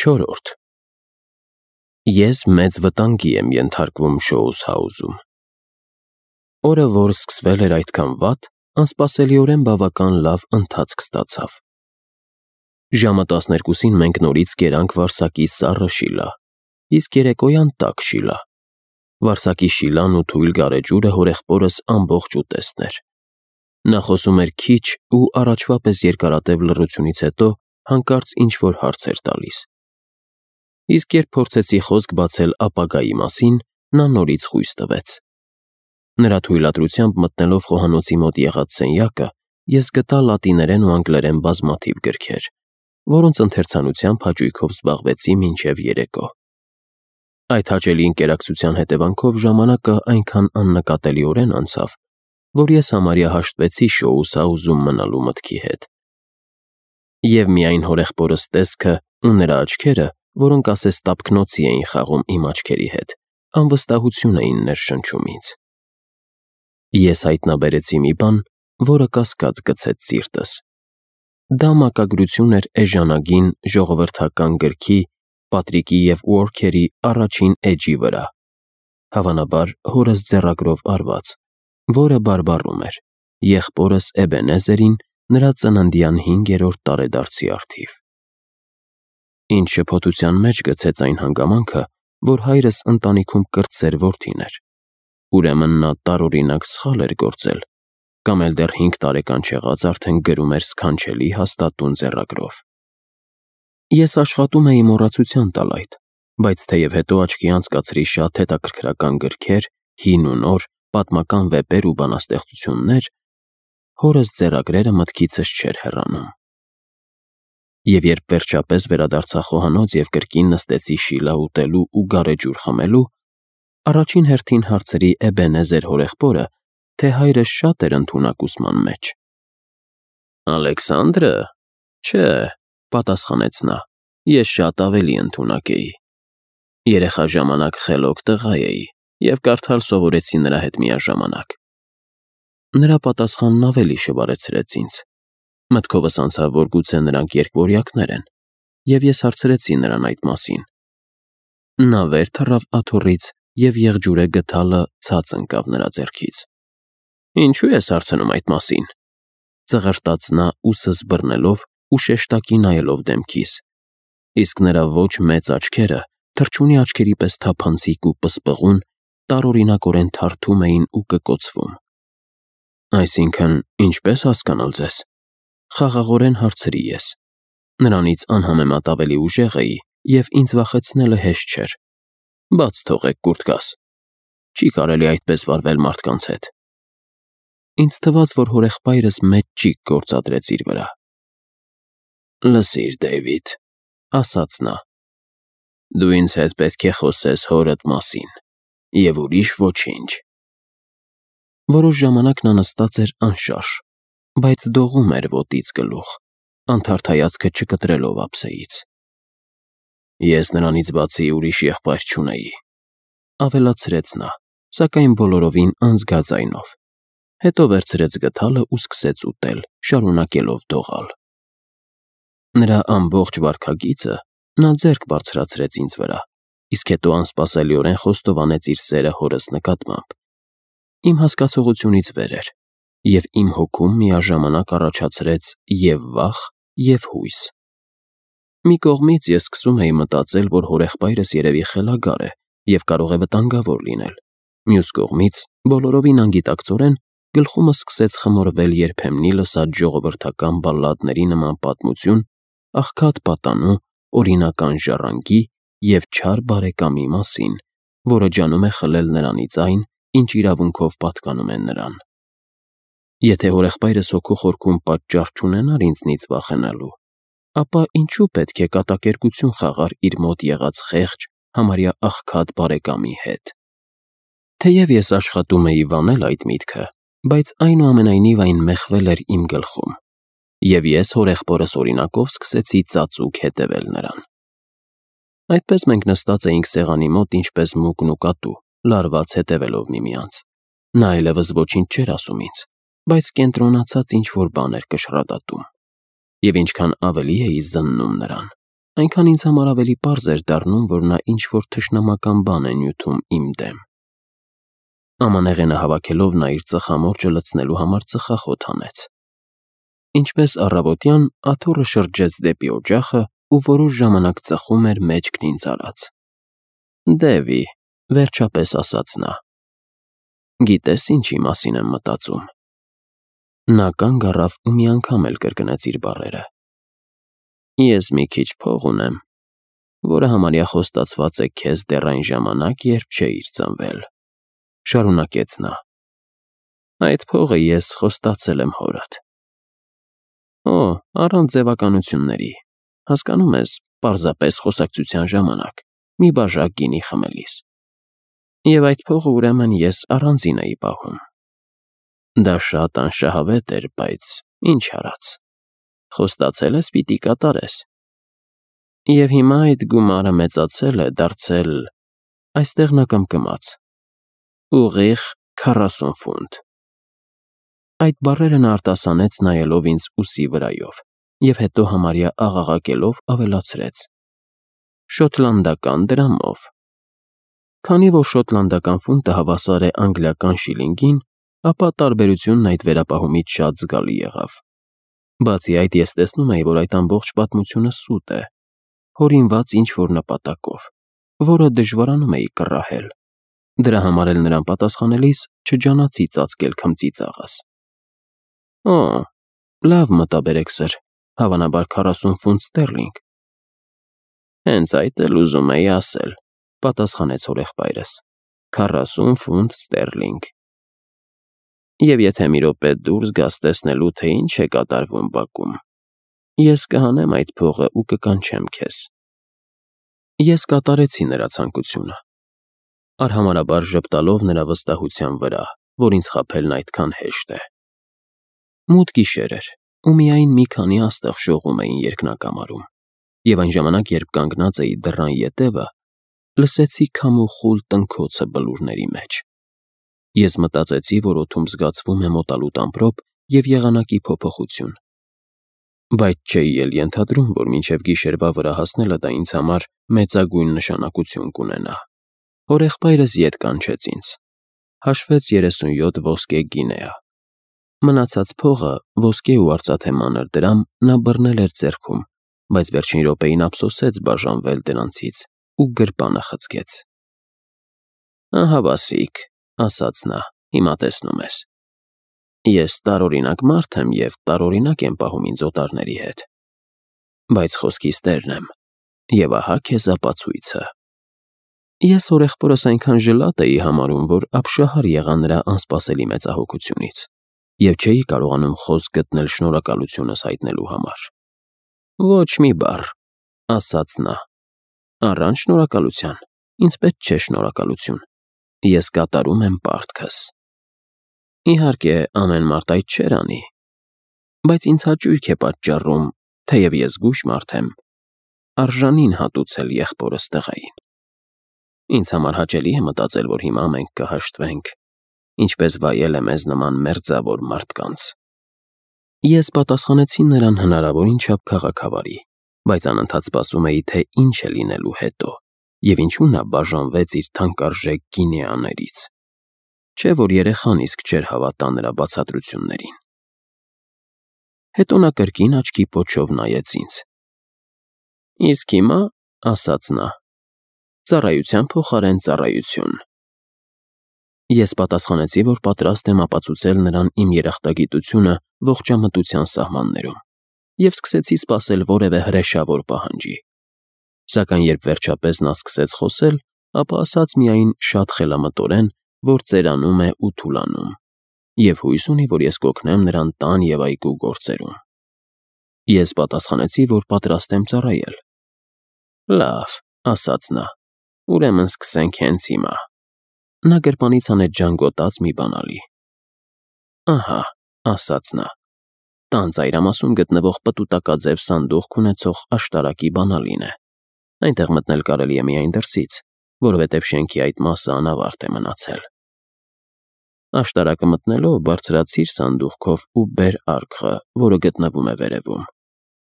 4. Ես մեծ վտանգի եմ ենթարկվում Շոուս Հաուզում։ Օրը, որ սկսվել էր այդքան վատ, անսպասելիորեն բավական լավ ընթացք ստացավ։ Ժամը 12-ին մենք նորից կերանք Վարսակի սառը շիլա, իսկ երեկոյան տաք շիլա։ Վարսակի շիլան ու թույլ գարեջուրը հորեղբորս ամբողջ ուտեստն էր։ Նա խոսում էր քիչ ու առաջվա պես երկարատև լռությունից հետո հանկարծ ինչ-որ հարց էր տալիս։ Իսկ երբ փորձեցի խոսք բացել ապագայի մասին, նա նորից խույս տվեց։ Նրա թույլատրությամբ մտնելով խոհանոցի մոտ եղած սենյակը, ես գտա լատիներեն ու անգլերեն բազմաթիվ գրքեր, որոնց ընթերցանությամբ հաճույքով զբաղվեցի մինչև երեկո։ Այդ հաճելի ընկերակցության հետևանքով ժամանակը այնքան աննկատելիորեն անցավ, որ ես համարյա հաշտվեցի Շոուս Հաուզում մնալու մտքի հետ։ Եվ միայն հորեղբորս տեսքը ու նրա աչքերը, որոնք ասես տափկնոցի էին խաղում իմ աչքերի հետ, անվստահություն էին ներշնչում ինձ։ Ես հայտնաբերեցի մի բան, որը կասկած գցեց սիրտս։ Դա մակագրություն էր էժանագին ժողովրդական գրքի Պատրիկի և Ուորքերի առաջին էջի վրա, հավանաբար հորս ձեռագրով արված, որը բարբառում էր եղբորս Էբենեզերին նրա ծննդյան 5-րդ տարեդարձի առթիվ։ Ինձ շփոթության մեջ գցեց այն հանգամանքը, որ հայրս ընտանիքում կրտսեր որդին էր։ Ուրեմն նա տարօրինակ սխալ էր գործել, կամ էլ դեռ 5 տարեկան չեղած արդեն գրում էր սքանչելի հաստատուն ձեռագրով։ Ես աշխատում էի մոռացության տալ այդ, բայց թեև հետո աչքի անցկացրի շատ հետաքրքրական գրքեր, հին ու նոր, պատմական վեպեր ու բանաստեղծություններ, հորս ձեռագրերը մտքիցս չէր հեռանում։ Եվ երբ վերջապես վերադարձա խոհանոց և կրկին նստեցի շիլա ուտելու ու գարեջուր խմելու, առաջին հերթին հարցրի Էբենեզեր հորեղբորը, թե հայրս շատ էր ընդունակ ուսման մեջ։ Ալեքսանդրը։ Չէ, պատասխանեց նա, ես շատ ավելի ընդունակ էի։ Երեխա ժամանակ խելոք տղա էի և կարդալ սովորեցի նրա հետ միաժամանակ։ Նրա պատասխանն ավելի շվարեցրեց ինձ։ Մտքովս անցավ, որ գուցե նրանք երկվորյակներ են, և ես հարցրեցի նրան այդ մասին։ Նա վեր թռավ աթոռից և եղջյուրե գդալը ցած ընկավ նրա ձեռքից։ Ինչու ես հարցնում այդ մասին, ծղրտաց նա ուսս բռնելով ու շեշտակի նայելով դեմքիս, իսկ նրա ոչ մեծ աչքերը թռչունի աչքերի պես թափանցիկ ու պսպղուն տարօրինակորեն թարթում էին ու կկոցվում։ Այսինքն, ինչպես հասկանալ ձեզ, խաղաղորեն հարցրի ես։ Նրանից անհամեմատ ավելի ուժեղ էի, և ինձ վախեցնելը հեշտ չէր։ Բաց թողեք, կուրթկաս, չի կարելի այդպես վարվել մարդկանց հետ։ Ինձ թվաց, որ հորեղբայրս մեծ ճիգ գործադրեց իր վրա։ Լսիր, Դեյվիդ, ասաց նա, դու ինձ հետ պետք է խոսես հորդ մասին, և ուրիշ ոչինչ։ Որոշ ժամանակ նա նստած էր անշարժ, բայց դողում էր ոտից գլուխ, անթարթ հայացքը չկտրելով ափսեից։ Ես նրանից բացի ուրիշ եղբայր չունեի, ավելացրեց նա, սակայն բոլորովին անզգա ձայնով, հետո վերցրեց գդալը ու սկսեց ուտել, շարունակելով դողալ։ Նրա ամբողջ վարքագիծը նա ձեռք բարձրացրեց ինձ վրա, իսկ հետո անսպասելիորեն խոստովանեց իր սերը հորս նկատմամբ։ Իմ հասկացողությունից վեր էր, և իմ հոգում միաժամանակ առաջացրեց և վախ, և հույս։ Մի կողմից ես սկսում էի մտածել, որ հորեղբայրս երևի խելագար է և կարող է վտանգավոր լինել։ Մյուս կողմից, բոլորովին անգիտակցորեն, գլխումս սկսեց խմորվել երբեմնի լսած ժողովրդական բալլադների նման պատմություն աղքատ պատանու, օրինական ժառանգի և չար բարեկամի մասին, որը ջանում է խլել նրանից այն, ինչ իրավունքով պատկանում է նրան։ Եթե հորեղբայրս հոգու խորքում պատճառ չունենար ինձնից վախենալու, ապա ինչու պետք է կատակերգություն խաղար իր մոտ եղած խեղճ, համարյա աղքատ բարեկամի հետ։ Թեև ես աշխատում էի վանել այդ միտքը, բայց այնուամենայնիվ այն մեխվել էր իմ գլխում, և ես հորեղբորս օրինակով սկսեցի ծածուկ հետևել նրան։ Այդպես մենք նստած էինք սեղանի մոտ ինչպես մուկն ու կատու, լարված հետևելով միմյանց։ Նա այլևս ոչինչ չէր ասում ինձ, բայց կենտրոնացած ինչ-որ բան էր կշռադատում։ Եվ ինչքան ավելի էի զննում նրան, այնքան ինձ համար ավելի պարզ էր դառնում, որ նա ինչ-որ թշնամական բան է նյութում իմ դեմ։ Ամանեղենը հավաքելով նա իր ծխամորճը լցնելու համար ծխախոտ հանեց։ Ինչպես առավոտյան, աթոռը շրջեց դեպի օջախը ու որոշ ժամանակ ծխում էր մեջքն ինձ արած։ «Դևի», վերջապես ասաց նա, «գիտես ինչի մասին եմ մտածում»։ Նա կանգ առավ ու մի անգամ էլ կրկնեց իր բառերը։ «Ես մի քիչ փող ունեմ, որը համարյա խոստացված է քեզ դեռ այն ժամանակ, երբ չէիր ծնվել», շարունակեց նա։ «Այդ փողը ես խոստացել եմ հորդ»։ «Օ, առանց ձևականությունների, հասկանում ես, պարզապես խոսակցության ժամանակ, մի բաժակ գինի խմելիս։ Եվ այդ փողը ուրեմն ես առանձին էի պահում։ Դա շատ անշահավետ էր, բայց ինչ արած, խոստացել ես պիտի կատարես։ Եվ հիմա այդ գումարը մեծացել է, դարձել, այստեղ նա կմկմաց, ուղիղ 40 ֆունտ։ Այդ բառերը նա արտասանեց նայելով ինձ ուսի վրայով և հետո համարյա աղաղակելով ավելացրեց. «Շոտլանդական դրամով»։ Քանի որ շոտլանդական ֆունտը հավասար է անգլիական շիլինգին, ապա տարբերությունն այդ վերապահումից շատ զգալի եղավ։ Բացի այդ, ես տեսնում էի, որ այդ ամբողջ պատմությունը սուտ է, հորինված ինչ-որ նպատակով, որը դժվարանում էի կռահել։ Դրա համար էլ նրան պատասխանելիս չջանացի ծածկել քմծիծաղս։ «Օ, լավ մտաբերեք, սըր, հավանաբար 40 ֆունտ ստերլինգ»։ «Հենց այդ էլ ուզում էի ասել», պատասխանեց հորեղբայրս, 40 ֆունտ ստերլինգ։ Եվ եթե մի րոպե դուրս գաս տեսնելու, թե ինչ է կատարվում բակում, ես կհանեմ այդ փողը ու կկանչեմ քեզ։ Ես կատարեցի նրա ցանկությունը, արհամարհաբար ժպտալով նրա վստահության վրա, որ ինձ խաբելն այդքան հեշտ է։ Մութ գիշեր էր, ու միայն մի քանի աստղ շողում էին երկնակամարում, և այն ժամանակ, երբ կանգնած էի դռան ետևը, լսեցի քամու խուլ տնքոցը բլուրների մեջ։ Ես մտածեցի, որ օդում զգացվում է մոտալուտ ամպրոպ և եղանակի փոփոխություն։ Բայց չէի էլ ենթադրում, որ մինչև գիշերվա վրա հասնելը դա ինձ համար մեծագույն նշանակություն կունենա։ Հորեղբայրս ետ կանչեց ինձ, հաշվեց 37 ոսկե գինեա։ Մնացած փողը, ոսկե ու արծաթե մանր դրամ, նա բռնել էր ձեռքում, բայց վերջին րոպեին ափսոսեց բաժանվել դրանցից ու գրպանը խցկեց։ «Ահա Վասիկ», ասաց նա, «հիմա տեսնում ես։ Ես տարօրինակ մարդ եմ և տարօրինակ եմ պահում ինձ օտարների հետ։ Բայց խոսքիս տերն եմ, և ահա քեզ ապացույցը»։ Ես հորեղբորս այնքան ժլատ էի համարում, որ ապշահար եղա նրա անսպասելի մեծահոգությունից և չէի կարողանում խոսք գտնել շնորհակալությունս հայտնելու համար։ «Ոչ մի բառ», ասաց նա, «առանց շնորհակալության, ինձ պետք չէ շնորհակալություն, ես կատարում եմ պարտքս։ Իհարկե, ամեն մարդ այդ չէր անի, բայց ինձ հաճույք է պատճառում, թեև ես զգույշ մարդ եմ, արժանին հատուցել եղբորս տղային։ Ինձ համար հաճելի է մտածել, որ հիմա մենք կհաշտվենք, ինչպես վայել է մեզ նման մերձավոր մարդկանց»։ Ես պատասխանեցի նրան հնարավորին չափ քաղաքավարի, բայց անընդհատ սպասում էի, թե ինչ է լինելու հետո, և ինչու նա բաժանվեց իր թանկարժեք գինեաներից։ Չէ՞ որ երեխան իսկ չէր հավատա նրա բացատրություններին։ Հետո նա կրկին աչքի պոչով նայեց ինձ։ «Իսկ հիմա, ասաց նա, ծառայության փոխարեն ծառայություն»։ Ես պատասխանեցի, որ պատրաստ եմ ապացուցել նրան իմ երախտագիտությունը ողջամտության սահմաններում, և սկսեցի սպասել որևէ հրեշավոր պահանջի։ Սակայն երբ վերջապես նա սկսեց խոսել, ապա ասաց միայն շատ խելամտորեն, որ ծերանում է ու թուլանում, և հույս ունի, որ ես կօգնեմ նրան տան և այգու գործերում։ Ես պատասխանեցի, որ պատրաստ եմ ծառայել։ «Լավ», ասաց նա, «ուրեմն սկսենք հենց հիմա»։ Նա գրպանից հանեց ժանգոտած մի բանալի։ «Ահա», ասաց նա, «տան ծայրամասում գտնվող պտուտակաձև սանդուղք ունեցող աշտարակի բանալին է։ Այնտեղ մտնել կարելի է միայն դրսից, որովհետև շենքի այդ մասը անավարտ է մնացել։ Աշտարակը մտնելով բարձրացիր սանդուղքով ու բեր արկղը, որը գտնվում է վերևում։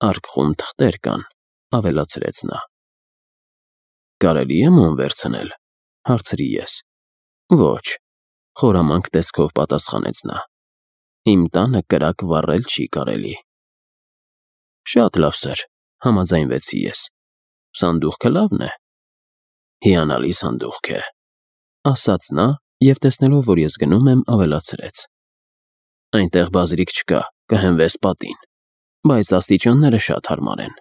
Արկղում թղթեր կան, ավելացրեց նա։ Կարելի է մոմ վերցնել, հարցրի ես։ Ոչ, խորամանկ տեսքով պատասխանեց նա։ Իմ տանը կրակ վառել չի կարելի։ Շատ լավ, սըր, համաձայնվեցի ես։ Սանդուղքը լավն է։ Հիանալի սանդուղք է, ասաց նա և տեսնելով, որ ես գնում եմ, ավելացրեց. Այնտեղ բազրիկ չկա, կհենվես պատին, բայց աստիճանները շատ հարմար են։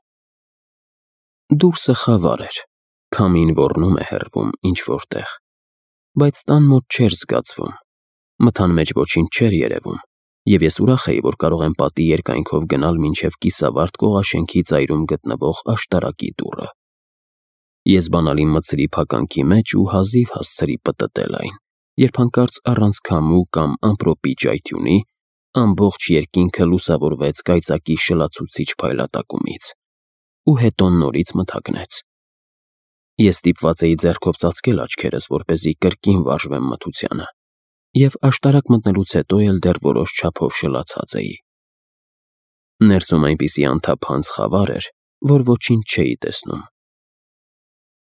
Դուրսը խավար էր, քամին ոռնում է հեռվում ինչ-որտեղ, բայց տան մոտ չէր զգացվում, մթան մեջ ոչինչ չէր երևում, և ես ուրախ էի, որ կարող եմ պատի երկայնքով գնալ մինչև կիսավարտ կողաշենքի ծայրում գտնվող աշտարակի դուռը։ Ես բանալի մտցրի փականքի մեջ ու հազիվ հասցրի պտտել այն, երբ հանկարծ առանց քամու կամ ամպրոպի ճայթյունի ամբողջ երկինքը լուսավորվեց կայծակի շլացուցիչ փայլատակումից, ու հետո նորից մթագնեց։ Ես ստիպված էի ձեռքով ծածկել աչքերս, որպեսզի կրկին վարժվեմ մթությանը, և աշտարակ մտնելուց հետո էլ դեռ որոշ չափով շլացած էի։ Ներսում այնպիսի անթափանց խավար էր, որ ոչինչ չէի տեսնում։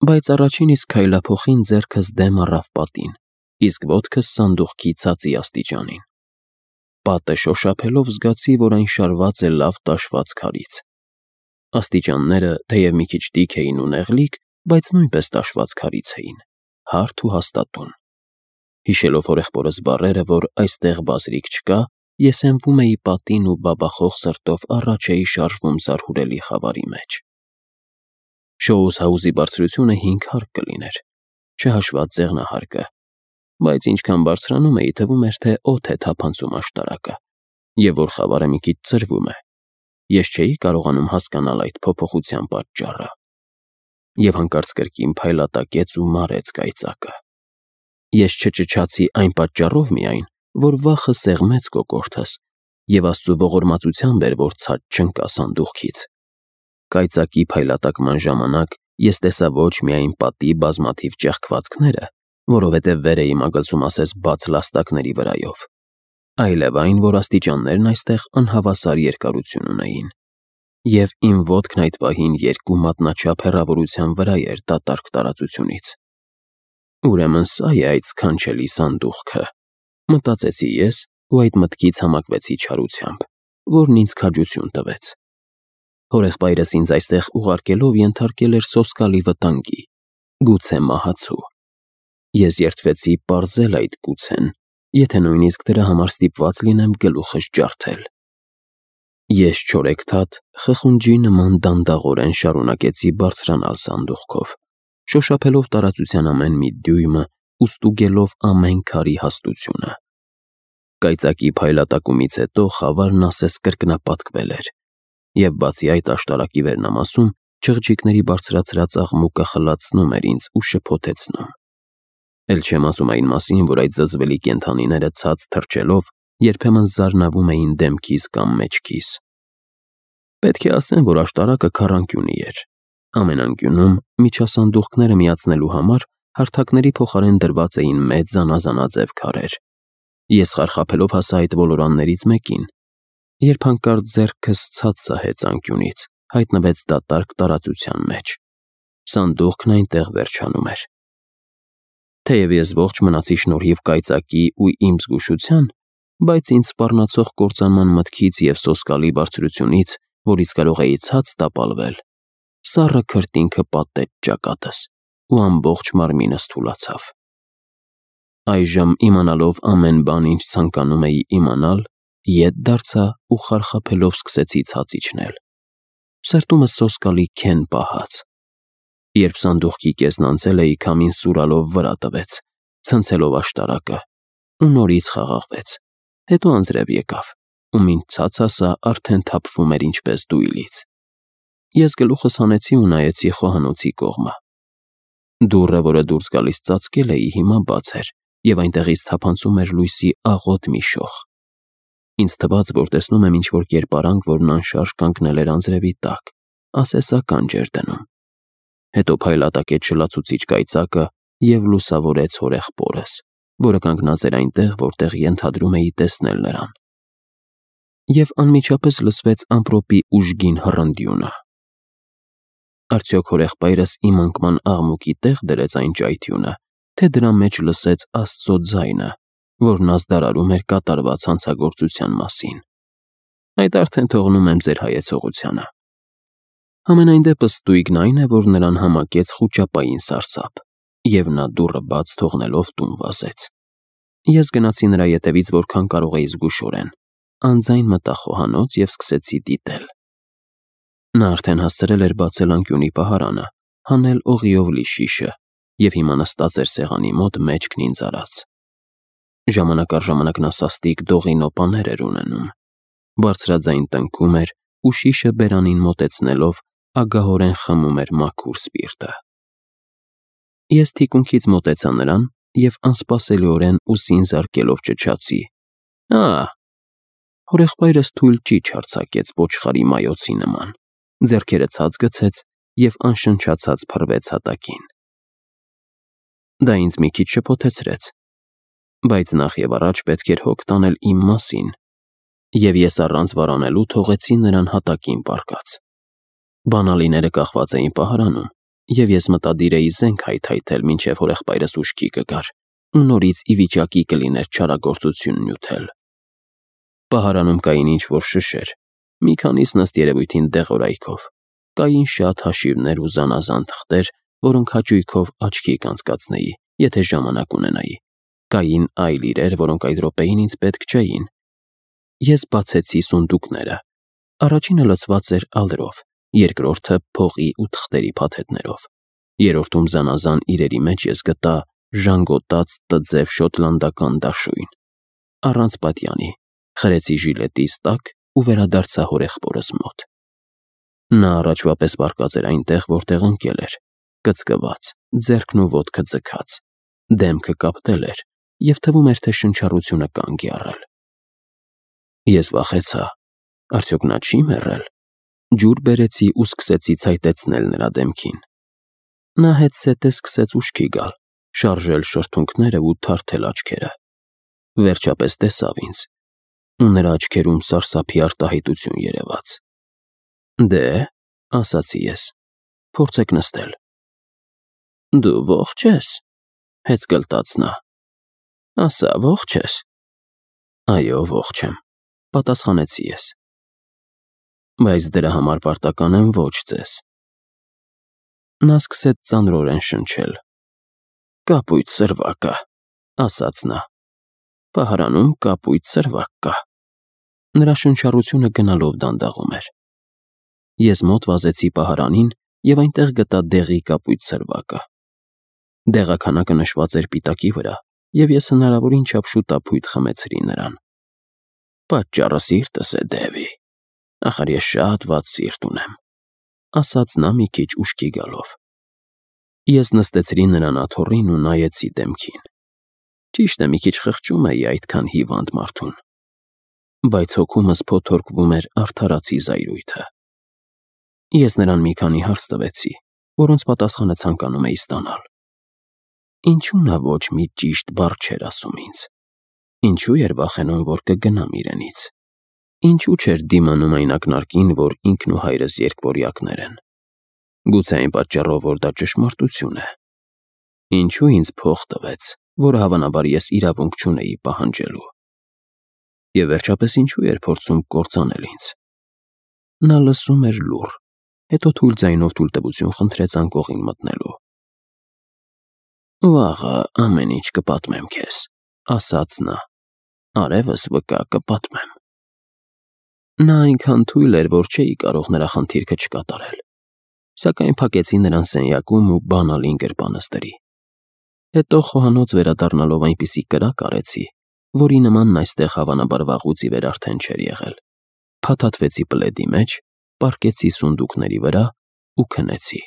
Բայց առաջին իսկ քայլափոխին ձեռքս դեմ առավ պատին, իսկ ոտքս սանդուղքի ցածի աստիճանին։ Պատը շոշափելով զգացի, որ այն շարված է լավ տաշված քարից։ Աստիճանները թեև մի քիչ տիք էին ու նեղլիկ, բայց նույնպես տաշված քարից էին, հարթ ու հաստատուն։ Հիշելով հորեղբորս բառերը, որ այստեղ բազրիկ չկա, ես հենվում էի պատին ու բաբախող սրտով առաջ էի շարժվում զարհուրելի խավարի մեջ։ Շոուս հաուզի բարձրությունը 5 հարկ կլիներ, չհաշված ձեղնահարկը, բայց ինչքան բարձրանում էի, թվում էր, թե օդ է թափանցում աշտարակը, և որ խավարը մի քիչ ցրվում է։ Ես չէի կարողանում հասկանալ այդ փոփոխության պատճառը։ Եվ հանկարծ կրկին փայլատակեց ու մարեց կայծակը։ Ես չճչացի այն պատճառով միայն, որ վախը սեղմեց կոկորդս, և Աստծու ողորմածությամբ էր, որ ցած չընկա սանդուղքից։ Կայծակի փայլատակման ժամանակ ես տեսա ոչ միայն պատի բազմաթիվ ճեղքվածքները, որովհետև վեր էի մագլցում ասես բաց լաստակների վրայով, այլև այն, որ աստիճաններն այստեղ անհավասար երկարություն ունեին, և իմ ոտքն այդ պահին 2 մատնաչափ հեռավորության վրա էր դատարկ տարածությունից։ Ուրեմն սա է այդ սքանչելի սանդուղքը, մտածեցի ես ու այդ մտքից համակվեցի չարությամբ, որն ինձ քաջություն տվեց։ Հորեղբայրս ինձ այստեղ ուղարկելով ենթարկել էր սոսկալի վտանգի, գուցե մահացու։ Ես երդվեցի պարզել այդ գուցեն, եթե նույնիսկ դրա համար ստիպված լինեմ գլուխս ջարդել։ Ես չորեքթաթ, խխունջի նման դանդաղորեն շարունակեցի բարձրանալ սանդուղքով, շոշափելով տարածության ամեն մի դյույմը ու ստուգելով ամեն քարի հաստությունը։ Կայծակի փայլատակումից հետո խավարն ասես կրկնապատկվել էր, և բացի այդ աշտարակի վերնամասում չղջիկների բարձրացրած աղմուկը խլացնում էր ինձ ու շփոթեցնում։ Էլ չեմ ասում այն մասին, որ այդ զզվելի կենդանիները ցած թռչելով երբեմն զարնավում էին դեմքիս կամ մեջքիս։ Պետք է ասեմ, որ աշտարակը քառանկյունի էր։ Ամեն անկյունում միջասանդուղքները միացնելու համար հարթակների փոխարեն դրված էին մեծ զանազանաձև քարեր։ Ես խարխափելով հասա այդ ոլորաններից մեկին, երբ հանկարծ ձեռքս ցած սահեց անկյունից, հայտնվեց դատարկ տարածության մեջ։ Սանդուղքն այնտեղ վերջանում էր։ Թեև ես ողջ մնացի շնորհիվ կայծակի ու իմ զգուշության, բայց ինձ սպառնացող կործանման մտքից և սոսկալի բարձրությունից, որից կարող էի ցած տապալվել, սառը քրտինքը պատեց ճակատս, ու ամբողջ մարմինս թուլացավ։ Այժմ, իմանալով ամեն բան, ինչ ցանկանում էի իմանալ, ետ դարձա ու խարխափելով սկսեցի ցած իջնել։ Սրտումս սոսկալի քեն պահաց։ Երբ սանդուղքի կեսն անցել էի, քամին սուրալով վրա տվեց, ցնցելով աշտարակը, ու նորից խաղաղվեց, հետո անձրև եկավ, ու մինչ ցած հասա, արդեն թափվում էր ինչպես դույլից։ Ես գլուխս հանեցի ու նայեցի խոհանոցի կողմը։ Դուռը, որը դուրս գալիս ծածկել էի, հիմա բաց էր, և այնտեղից թափանցում էր լույսի աղոտ մի շող։ Ինձ թվաց, որ տեսնում եմ ինչ-որ կերպարանք, որն անշարժ կանգնել էր անձրևի տակ, ասես ականջ էր դնում։ Հետո փայլատակեց շլացուցիչ կայծակը և լուսավորեց հորեղբորս, որը կանգնած էր այնտեղ, որտեղ ենթադրում էի տեսնել նրան։ Եվ անմիջապես լսվեց ամպրոպի ուժգին հռնդյունը։ Արդյոք հորեղբայրս իմ անկման աղմուկի տեղ դրեց այն ճայթյունը, թե դրա մեջ լսեց Աստծո ձայնը, որն ազդարարում էր կատարված հանցագործության մասին։ Այդ արդեն թողնում եմ ձեր հայեցողությանը։ Համենայն դեպս ստույգն այն է, որ նրան համակեց խուճապային սարսափ, և նա դուռը բաց թողնելով տուն վազեց։ Ես գնացի նրա ետևից որքան կարող էի զգուշորեն, անձայն մտա խոհանոց և սկսեցի դիտել։ Նա արդեն հասցրել էր բացել անկյունի պահարանը, հանել օղիով լի շիշը և հիմա նստած էր սեղանի մոտ մեջքն ինձ արած։ Ժամանակ առ ժամանակ նա սաստիկ դողի նոպաներ էր ունենում, բարձրաձայն տնքում էր ու շիշը բերանին մոտեցնելով ագահորեն խմում էր մաքուր սպիրտը։ Ես թիկունքից մոտեցա նրան և անսպասելիորեն ուսին զարկելով ճչացի. Հորեղբայրս թույլ ճիչ արձակեց ոչխարի մայոցի նման, ձեռքերը ցած գցեց և անշնչացած փռվեց հատակին։ Դա ինձ մի քիչ շփոթեցրեց, բայց նախ և առաջ պետք էր հոգ տանել իմ մասին, և ես առանց վարանելու թողեցի նրան հատակին պառկած։ Բանալիները կախված էին պահարանում, և ես մտադիր էի զենք հայթայթել, մինչև հորեղբայրս ուշքի կգար ու նորից ի վիճակի կլիներ չարագործություն նյութել։ Պահարանում կային ինչ-որ շշեր, մի քանիսն ըստ երևույթին դեղորայքով, կային շատ հաշիվներ ու զանազան թղթեր, որոնք հաճույքով աչքի կանցկացնեի, եթե ժամանակ ունենայի, կային այլ իրեր, որոնք այդ րոպեին ինձ պետք չէին։ Ես բացեցի սունդուկները, առաջինը լցված էր ալրով, երկրորդը փողի ու թղթերի փաթեթներով, երրորդում զանազան իրերի մեջ ես գտա ժանգոտած տձև շոտլանդական դաշույն, առանց պատյանի, խրեցի ժիլետիս տակ ու վերադարձա հորեղբորս մոտ։ Նա առաջվա պես պառկած էր այնտեղ, որտեղ ընկել էր, կծկված, ձեռքն ու ոտքը ձգած, դեմքը կապտել էր և թվում էր, թե շնչառությունը կանգ է առել։ Ես վախեցա, արդյոք նա չի մեռել։ Ջուր բերեցի ու սկսեցի ցայտեցնել նրա դեմքին։ Նա հետզհետե սկսեց ուշքի գալ, շարժել շրթունքները ու թարթել աչքերը։ Վերջապես տեսավ ինձ, ու նրա աչքերում սարսափի արտահայտություն երևաց։ «Դե», ասացի ես, «փորձեք նստել»։ «Դու ողջ ես», հեծ գլտաց նա։ «Ասա, ողջ ես»։ «Այո, ողջ եմ», պատասխանեցի ես։ «Բայց դրա համար պարտական եմ ոչ ձեզ»։ Նա սկսեց ծանրորեն շնչել։ «Կապույտ սրվակ կա», ասաց նա։ «Պահարանում կապույտ սրվակ կա»։ Նրա շնչառությունը գնալով դանդաղում էր։ Ես մոտ վազեցի պահարանին և այնտեղ գտա դեղի կապույտ սրվակը։ Դեղաքանակը նշված էր պիտակի վրա, և ես հնարավորին չափ շուտափույթ խմեցրի նրան։ «Պատճառը սիրտս է, Դևի, ախր ես շատ վատ սիրտ ունեմ», ասաց նա մի քիչ ուշքի գալով։ Ես նստեցրի նրան աթոռին ու նայեցի դեմքին։ Ճիշտ է, մի քիչ խղճում էի այդքան հիվանդ մարդուն, բայց հոգումս փոթորկվում էր արդարացի զայրույթը։ Ես նրան մի քանի հարց տվեցի, որոնց պատասխանը ցանկանում էի ստանալ։ Ինչու նա ոչ մի ճիշտ բառ չէր ասում ինձ։ Ինչու էր վախենում, որ կգնամ իրենից։ Ինչու չէր դիմանում այն ակնարկին, որ ինքն ու հայրս երկվորյակներ են։ Գուցե այն պատճառով, որ դա ճշմարտություն է։ Ինչու ինձ փող տվեց, որը հավանաբար ես իրավունք չունեի պահանջելու։ Եվ վերջապես ինչու էր փորձում կործանել ինձ։ Նա լսում էր լուռ, հետո թույլ ձայնով թույլտվություն խնդրեց անկողին մտնելու։ «Վաղը ամեն ինչ կպատմեմ քեզ», ասաց նա։ «Արևս վկա կպատմեմ»։ Նա այնքան թույլ էր, որ չէի կարող նրա խնդիրքը չկատարել, սակայն փակեցի նրան սենյակում ու բանալին գրպանս դրի։ Հետո խոհանոց վերադառնալով այնպիսի կրակ արեցի, որի նմանն այստեղ հավանաբար վաղուց ի վեր արդեն չէր եղել, փաթաթվեցի պլեդի մեջ, պառկեցի սունդուկների վրա ու քնեցի։